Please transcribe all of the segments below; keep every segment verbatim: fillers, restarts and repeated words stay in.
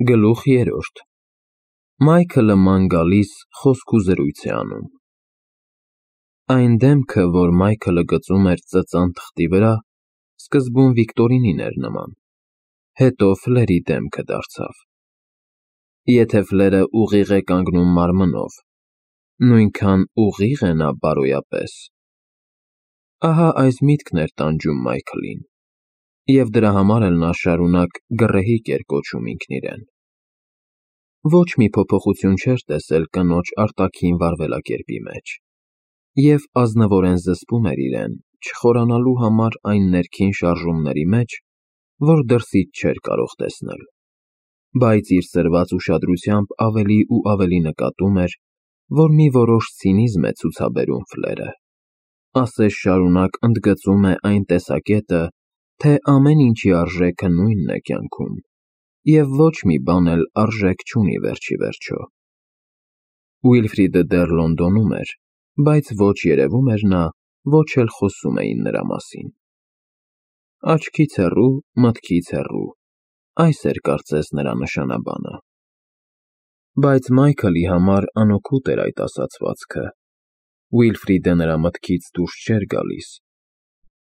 Գլուխ երրորդ Մայքլը ման գալիս խոսք ու զրույց է անում։ Այն դեմքը, որ Մայքլը գծում էր ծծան թղթի վրա, սկզբում Վիկտորինին էր նման, հետո Ֆլերի դեմքը դարձավ։ Եթե Ֆլերը ուղիղ է կանգնում մարմնով, նույնքան ուղի՞ղ է նա բարոյապես։ Ահա այս միտքն էր տանջում Մայքլին, և դրա համար էլ նա շարունակ գռեհիկ էր կոչում ինքն իրեն։ Ոչ մի փոփոխություն չէր տեսել կնոջ արտաքին վարվելակերպի մեջ, և ազնվորեն զսպում էր իրեն չխորանալու համար այն ներքին շարժումների մեջ, որ դրսից չէր կարող տեսնել, բայց իր սրված ուշադրությամբ ավելի ու ավելի նկատում էր, որ մի որոշ ցինիզմ է ցուցաբերում Ֆլերը, ասես շարունակ ընդգծում է այն տեսակետը, թե ամեն ինչի արժեքը նույնն է կյանքում, և ոչ մի բան էլ արժեք չունի վերջիվերջո։ Ուիլֆրիդը դեռ Լոնդոնում էր, բայց ոչ երևում էր նա, ոչ էլ խոսում էին նրա մասին։ Աչքից հեռու, մտքից հեռու, այս էր կարծես նրա նշանաբանը։ Բայց Մայքլի համար անօգուտ էր այդ ասացվածքը։ Ուիլֆրիդը նրա մտքից դուրս չէր գալիս։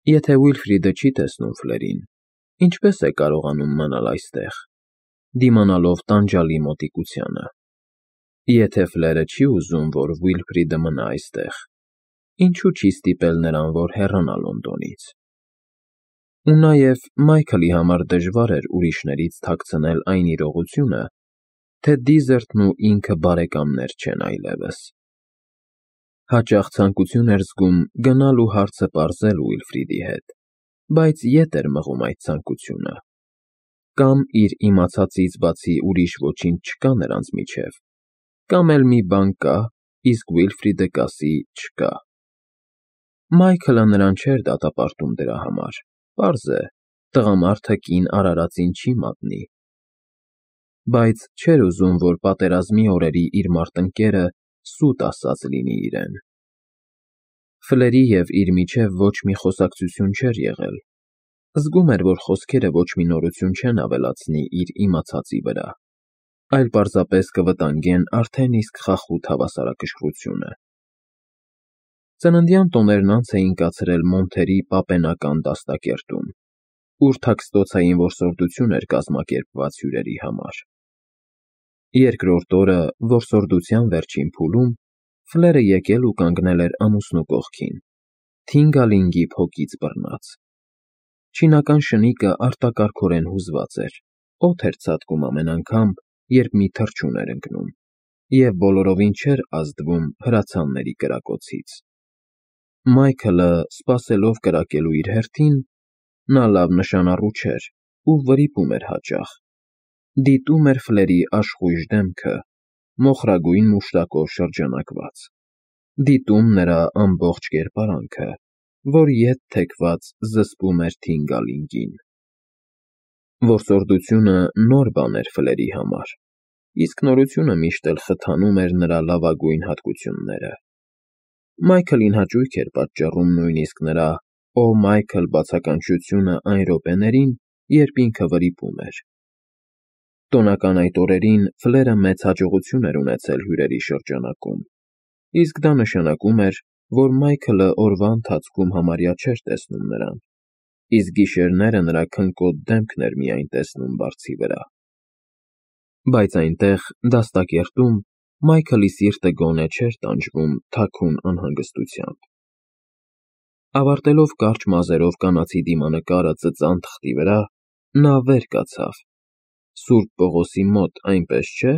Եթե Ուիլֆրիդը չի տեսնում Ֆլերին, ինչպե՞ս է կարողանում մնալ այստեղ, դիմանալով տանջալի մոտիկությանը։ Եթե Ֆլերը չի ուզում, որ Ուիլֆրիդը մնա այստեղ, ինչու՞ չի ստիպել նրան, որ հեռանա Լոնդոնից։ Ու նաև Մայքլի համար դժվար էր ուրիշներից թաքցնել այն իրողությունը, թե Դիզերտն ու ինքը բարեկամներ չեն այլևս։ Հաճախ ցանկություն էր զգում գնալ ու հարցը պարզել Ուիլֆրիդի հետ, բայց ետ էր մղում այդ ցանկությունը։ Կամ իր իմացածից բացի ուրիշ ոչինչ չկա նրանց միջև, կամ էլ մի բան կա, իսկ Ուիլֆրիդը կասի չկա։ Մայքլը նրան չէր դատապարտում դրա համար, պարզ է, տղամարդը կին արարածին չի մատնի։ Բայց չէր ուզում, որ պատերազմի օրերի իր մարտնկերը սուտ ասած լինի իրեն։ Ֆլերի և իր միջև ոչ մի խոսակցություն չէր եղել։ Զգում էր, որ խոսքերը ոչ մի նորություն չեն ավելացնի իր իմացածի վրա, այլ պարզապես կվտանգեն արդեն իսկ խախուտ հավասարակշռությունը։ Ծննդյան տոներն անց էին կացրել Մոնթերի պապենական դաստակերտում, ուր թաքստոցային որսորդություն էր կազմակերպված հյուրերի համար։ Երկրորդ օրը, որսորդության վերջին փուլում, Ֆլերը եկել ու կանգնել էր ամուսնու կողքին, Թինգալինգի փոքից բռնած։ Չինական շնիկը արտակարգորեն հուզված էր, օդ էր ցատկում ամեն անգամ, երբ մի թռչուն էր ընկնում, և բոլորովին չէր ազդվում հրացանների կրակոցից։ Մայքլը, սպասելով կրակելու իր հերթին, նա լավ նշանառու չէր ու վրիպում էր հաճախ, դիտում էր Ֆլերի աշխույժ դեմքը, մոխրագույն մուշտակով շրջանակված, դիտում նրա ամբողջ կերպարանքը, որ ետ թեքված զսպում էր Թինգալինգին։ Որսորդությունը նոր բան էր Ֆլերի համար, իսկ նորությունը միշտ էլ խթանում էր նրա լավագույն հատկությունները։ Մայքլին հաճույք էր պատճառում նույնիսկ նրա «Օ, Մայքլ» բացականչությունը այն րոպեներին, երբ ինքը վրիպում էր։ Տոնական այդ օրերին Ֆլերը մեծ հաջողություն էր ունեցել հյուրերի շրջանակում, իսկ դա նշանակում էր, որ Մայքլը օրվա ընթացքում համարյա չէր տեսնում նրան, իսկ գիշերները նրա քնկոտ դեմքն էր միայն տեսնում բարձի վրա։ Բայց այնտեղ, դաստակերտում, Մայքլի սիրտը գոնե չէր տանջվում թաքուն անհանգստությամբ։ Ավարտելով կարճ մազերով կանացի դիմանկարը ծծան թղթի վրա, նա վեր կացավ. «Սուրբ Պողոսի մոտ, այնպես չէ՞»,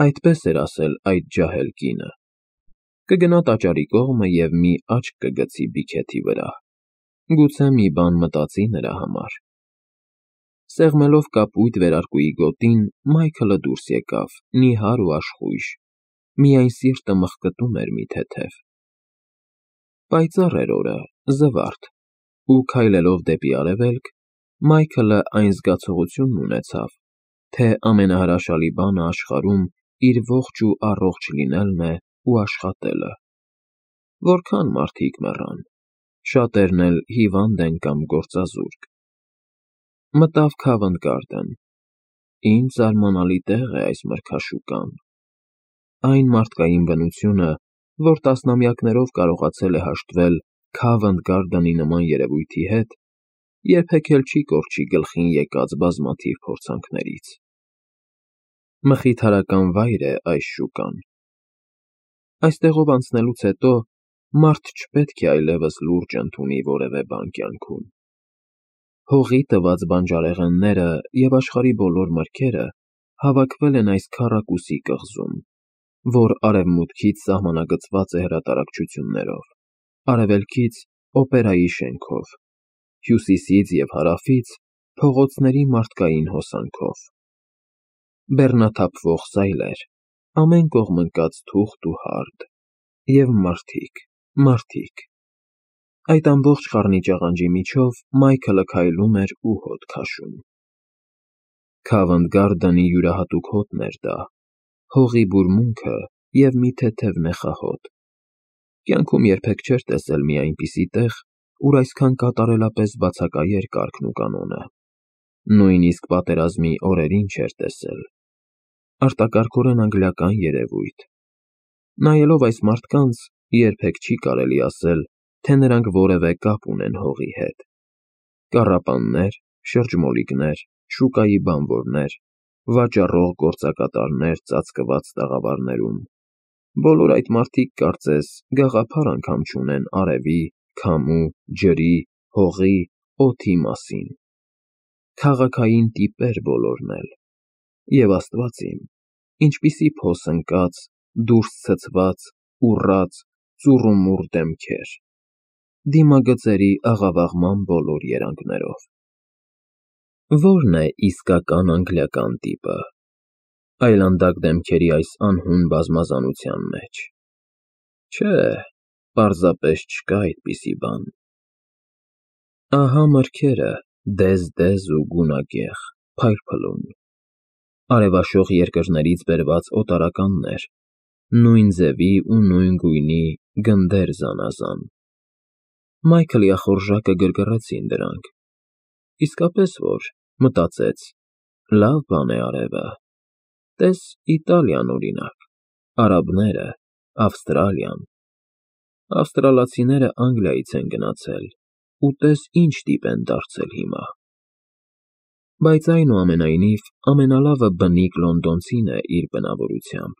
այդպես էր ասել այդ ջահել կինը։ Կգնա տաճարի կողմը և մի աչք կգցի բիքեթի վրա, գուցե մի բան մտածի նրա համար։ Սեղմելով կապույտ վերարկուի գոտին, Մայքլը դուրս եկավ, նիհար ու աշխույժ, միայն սիրտը մխկտում էր մի թեթև։ Պայծառ էր օրը, զվարթ, ու քայլելով դեպի արևելք, Մայքլը այն զգացողությունն ունեցավ, թե ամենահրաշալի բանը աշխարհում իր ողջ ու առողջ լինելն է ու աշխատելը։ Որքա՜ն մարդիկ մեռան, շատերն էլ հիվանդ են կամ գործազուրկ։ Մտավ Քավընթ Գարդեն։ Ինչ զարմանալի տեղ է այս մրգաշուկան։ Այն մարդկային բնությունը, որ տասնամյակներով կարողացել է հաշտվել Քավենթ Գարդանի նման երևույթի հետ, երբեք էլ չի կորչի գլխին եկած բազմաթիվ փորձանքներից։ Մխիթարական վայր է այս շուկան։ Այստեղով անցնելուց հետո մարդ չպետք է այլևս լուրջ ընդունի որևէ բան կյանքում։ Հողի տված բանջարեղենները և աշխարհի բոլոր մրգերը հավաքվել են այս քառակուսի կղզում, որ արևմուտքից սահմանագծված է հրատարակչություններով, արևելքից՝ օպերայի շենքով, հյուսիսից և հարավից՝ փողոցների մարդկային հոսանքով։ Բեռնաթափվող սայլեր, ամեն կողմ ընկած թուղթ ու հարդ, և մարդիկ, մարդիկ… Այդ ամբողջ խառնիճաղանջի միջով Մայքլը քայլում էր ու հոտ քաշում։ Քավենթ Գարդանի յուրահատուկ հոտն էր դա, հողի բուրմունքը և մի թեթև նեխահոտ։ Կյանքում երբեք չէր տեսել մի այնպիսի տեղ, ուր այսքան կատարելապես բացակայեր կարգն ու կանոնը, նույնիսկ պատերազմի օրերին չէր տեսել։ Արտակարգորեն անգլիական երևույթ։ Նայելով այս մարդկանց՝ երբեք չի կարելի ասել, թե նրանք որևէ կապ ունեն հողի հետ։ Կառապաններ, շրջմոլիկներ, շուկայի բանվորներ, վաճառող գործակատարներ ծածկված տաղավարներում, բոլոր այդ մարդիկ կարծես գաղափար անգամ չունեն արևի, քամու, ջրի, հողի, օդի մասին։ Քաղաքային տիպեր բոլորն էլ։ Եվ Աստված իմ, ինչպիսի փոս ընկած, դուրս ցցված, ուռած, ծուռումուռ դեմքեր, դիմագծերի աղավաղման բոլոր երանգներով։ Ո՞րն է իսկական անգլիական տիպը այլանդակ դեմքերի այս անհուն բազմազանության մեջ։ Չէ, պարզապես չկա այդպիսի բան։ Ահա մրգերը, դեզ-դեզ ու գունագեղ, փայլփլուն, արևաշող երկրներից բերված օտարականներ, նույն ձևի ու նույն գույնի գնդեր զանազան։ Մայքլի ախորժակը գրգռեցին դրանք։ Իսկապես որ, մտածեց, լավ բան է արևը։ Տես Իտալիան, օրինակ, արաբները, Ավստրալիան։ Ավստրալացիները Անգլիայից են գնացել, ու տես ինչ տիպ են դարձել հիմա։ Բայց այնուամենայնիվ ամենալավը բնիկ լոնդոնցին է իր բնավորությամբ։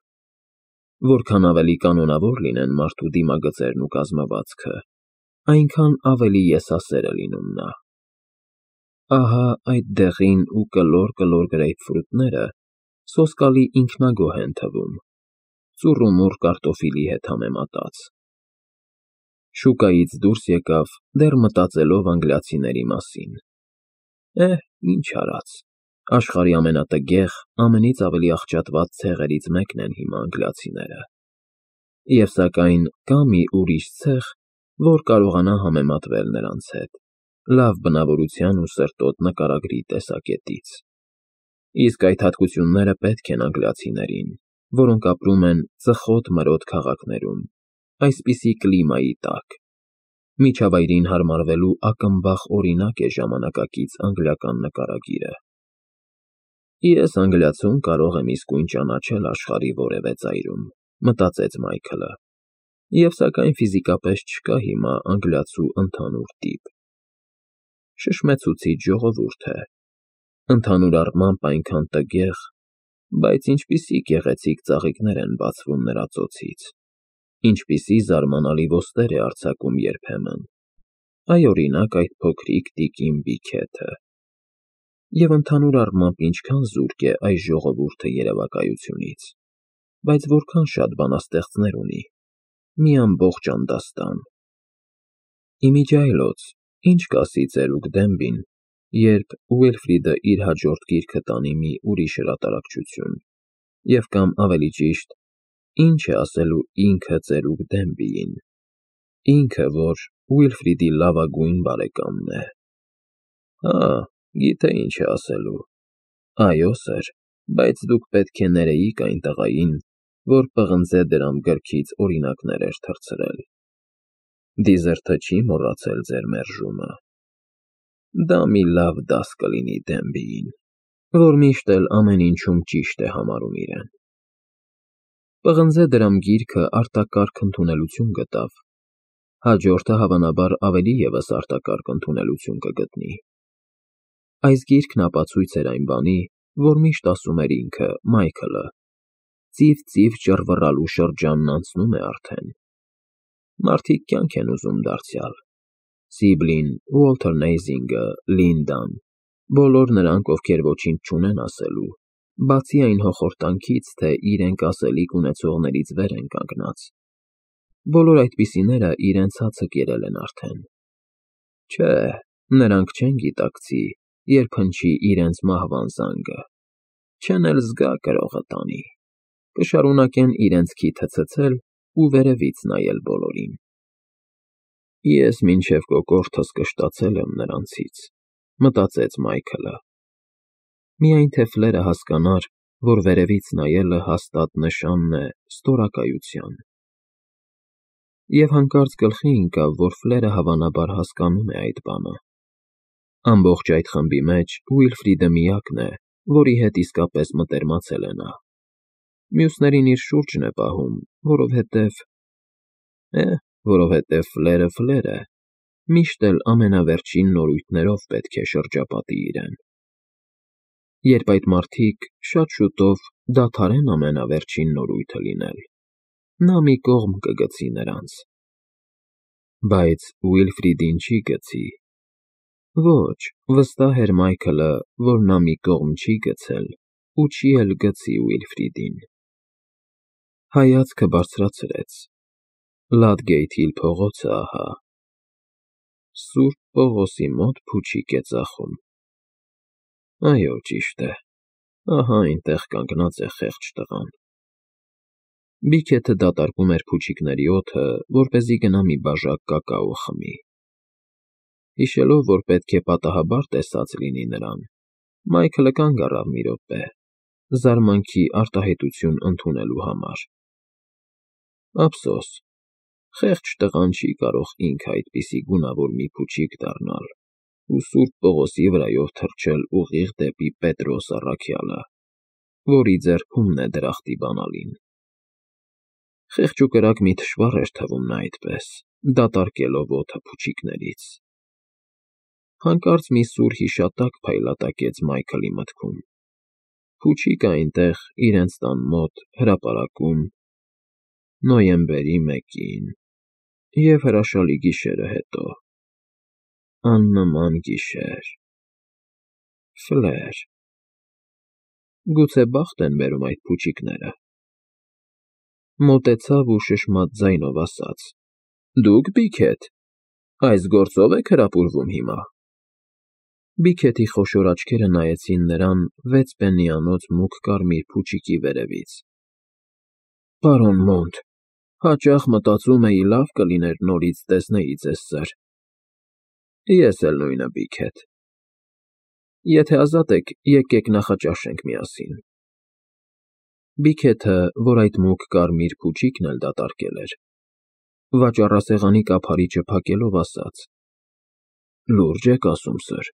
Որքան ավելի կանոնավոր լինեն մարդու դիմագծերն ու կազմվածքը, այնքան ավելի եսասեր է լինում նա։ Ահա այդ դեղին ու կլոր֊կլոր գրեյփֆրութները սոսկալի ինքնագոհ են թվում, ծուռումուռ կարտոֆիլի հետ համեմատած։ Շուկայից դուրս եկավ, դեռ մտածելով անգլիացիների մասին։ Էհ, ինչ արած, աշխարհի ամենատգեղ, ամենից ավելի աղճատված ցեղերից մեկն են հիմա անգլիացիները։ Եվ սակայն կա մի ուրիշ ցեղ, որ կարողանա համեմատվել նրանց հետ, լավ բնավորության ու սրտոտ նկարագրի տեսակետից։ Իսկ այդ հատկությունները պետք են անգլիացիներին, որոնք ապրում են ծխոտ֊մրոտ քաղաքներում, այսպիսի կլիմայի տակ։ Միջավայրին հարմարվելու ակնբախ օրինակ է ժամանակակից անգլիական նկարագիրը։ Ես անգլիացուն կարող եմ իսկույն ճանաչել աշխարհի որևէ ծայրում, մտածեց Մայքլը, և սակայն ֆիզիկապես չկա հիմա անգլիացու ընդհանուր տիպ։ Շշմեցուցիչ ժողովուրդ է, ընդհանուր առմամբ այնքան տգեղ, բայց ինչպիսի գեղեցիկ ծաղիկներ են բացվում նրա ծոցից, ինչպիսի զարմանալի ոստեր է արձակում երբեմն, այ օրինակ այդ փոքրիկ տիկին Բիքեթը։ Եվ ընդհանուր առմամբ ինչքան զուրկ է այս ժողովուրդը երևակայությունից, բայց որքան շատ բանաստեղծներ ունի, մի ամբողջ անդաստան։ Իմիջիայլոց, ինչ կասի ծերուկ Դենբին, երբ Ուիլֆրիդը իր հաջորդ գիրքը տանի մի ուրիշ հրատարակչություն, և կամ ավելի ճիշտ, ինչ է ասելու ինքը ծերուկ Դենբիին, ինքը, որ Ուիլֆրիդի լավագույն բարեկամն է։ Հա, գիտե ինչ է ասելու. այո սըր, բայց դուք պետք է ներեիք այն տղային, որ պղնձե դրամ գրքից օրինակներ էր թռցրել։ Դիզերթը չի մոռացել ձեր մերժումը։ Դա մի լավ դաս կլինի Դենբիին։ որ միշտ էլ ամեն ինչում ճիշտ է համարում իրեն։ Պղնձե դրամ գիրքը արտակարգ ընդունելություն գտավ, հաջորդը հավանաբար ավելի ևս արտակարգ ընդունելություն կգտնի։ Այս գիրքն ապացույց էր այն բանի, որ միշտ ասում էր ինքը, Մայքլը, ծիվ-ծիվ ճռվռալու շրջանն անցնում է արդեն։ Մարդիկ կյանք են ուզում դարձյալ, Սիբլին, Ուոլթեր Նեյզինգը, Լինդան, բոլոր նրանք, ովքեր ոչինչ չունեն ասելու, բացի այն հոխորտանքից, թե իրենք ասելիք ունեցողներից վեր են կանգնած։ Բոլոր այդպիսիները իրենց հացը կերել են արդեն։ Չէ, նրանք չեն գիտակցի, երբ հնչի իրենց մահվան զանգը, չեն էլ զգա կրողը տանի, կշարունակեն իրենց քիթը ցցել ու վերևից նայել բոլորին։ Ես մինչև կոկորդս կշտացել եմ նրանցից, մտածեց Մայքլը։ Միայն թե Ֆլերը հասկանար, որ վերևից նայելը հաստատ նշանն է ստորակայության։ Եվ հանկարծ գլխի ընկավ, որ Ֆլերը հավանաբար հասկանում է այդ բանը։ Ամբողջ այդ խմբի մեջ Ուիլֆրիդը միակն է, որի հետ իսկապես մտերմացել է նա։ Մյուսներին իր շուրջն է պահում, որովհետև… է, որովհետև Ֆլերը Ֆլեր է, միշտ էլ ամենավերջին նորույթներով պետք է շրջապատի իրեն։ Երբ այդ մարդիկ շատ շուտով դադարեն ամենավերջին նորույթը լինել, նա մի կողմ կգցի նրանց։ Բայց Ուիլֆրիդին չի գցի։ Ոչ, վստահ էր Մայքլը, որ նա մի կողմ չի գցել ու չի էլ գցի Ուիլֆրիդին։ Հայացքը բարձրացրեց. Լադգեյթ Հիլ փողոցը ահա։ Սուրբ Պողոսի մոտ փուչիկ է ծախում։ Այո, ճիշտ է, ահա այնտեղ կանգնած է խեղճ տղան։ Բիքեթը դատարկում էր փուչիկների օդը, որպեսզի գնա մի բաժակ կակաո խմի։ Հիշելով, որ պետք է պատահաբար տեսած լինի նրան, Մայքլը կանգ առավ մի րոպե, զարմանքի արտահայտություն ընդունելու համար։ Ափսոս, խեղճ տղան չի կարող ինքը այդպիսի գունավոր մի փուչիկ դառնալ ու Սուրբ Պողոսի վրայով թռչել ուղիղ դեպի Պետրոս առաքյալը, որի ձեռքումն է դրախտի բանալին։ Խեղճուկրակ մի թշվառ էր թվում նա այդպես, դատարկելով օդը փուչիկներից։ Հանկարծ մի սուր հիշատակ փայլատակեց Մայքլի մտքում։ Փուչիկը այնտեղ, իրենց տան մոտ, հրապարակում, նոյեմբերի մեկին, և հրաշալի գիշերը հետո, աննման գիշեր… Ֆլեր… Գուցե բախտ են բերում այդ փուչիկները։ Մոտեցավ ու շշմած ձայնով ասաց. Դուք, Բիքեթ, այս գործով եք հրապուրվում հիմա։ Բիքեթի խոշոր աչքերը նայեցին նրան վեց պեննիանոց մուգ կարմիր փուչիկի վերևից։ Պարոն Մոնտ, հաճախ մտածում էի լավ կլիներ նորից տեսնեի ձեզ, սըր։ Ես էլ նույնը, Բիքեթ։ Եթե ազատ եք, եկեք նախաճաշենք միասին։ Բիքեթը, որ այդ մուգ կարմիր փուչիկն էլ դատարկել էր, վաճառասեղանի կափարիչը փակելով ասաց. Լուրջ եք ասում, սըր։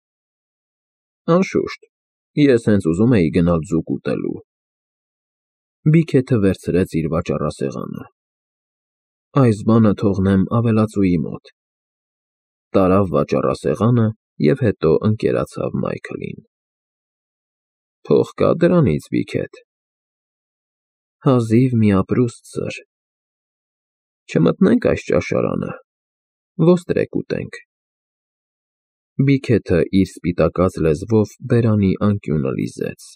Անշուշտ, ես հենց ուզում էի գնալ ձուկ ուտելու։ Բիքեթը վերցրեց իր վաճառասեղանը։ Այս բանը թողնեմ ավելածուի մոտ։ Տարավ վաճառասեղանը և հետո ընկերացավ Մայքլին։ Փող կա դրանից, Բիքեթ։ Հազիվ մի ապրուստ, սըր։ Չմտնենք այս ճաշարանը, ոստրեք ուտենք։ Բիքեթը իր սպիտակած լեզվով բերանի անկյունը լիզեց։